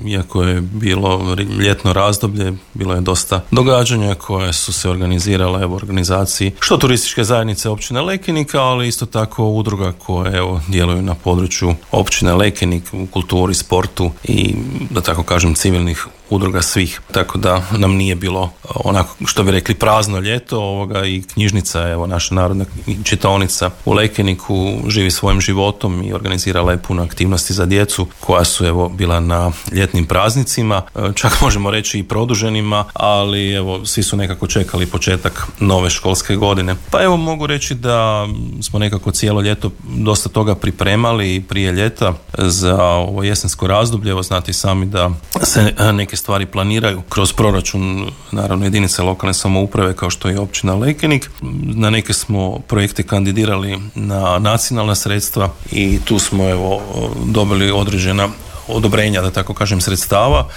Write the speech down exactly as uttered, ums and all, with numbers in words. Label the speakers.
Speaker 1: iako je bilo ljetno razdoblje, bilo je dosta događanja koje su se organizirale u organizaciji što turističke zajednice općine Lekenika, ali isto tako udruga koje evo, djeluju na području općine Lekenik u kulturi, sportu i da tako kažem civilnih udruga svih, tako da nam nije bilo onako što bi rekli prazno ljeto ovoga i knjižnica, evo naša narodna čitaonica u Lekeniku živi svojim životom i organizirala je puno aktivnosti za djecu koja su evo bila na ljetnim praznicima, čak možemo reći i produženima, ali evo svi su nekako čekali početak nove školske godine. Pa evo mogu reći da smo nekako cijelo ljeto dosta toga pripremali prije ljeta za ovo jesensko razdoblje. Evo znate sami da se neke stvari planiraju kroz proračun naravno jedinice lokalne samouprave kao što je općina Lekenik. Na neke smo projekte kandidirali na nacionalna sredstva i tu smo evo dobili određena odobrenja, da tako kažem, sredstava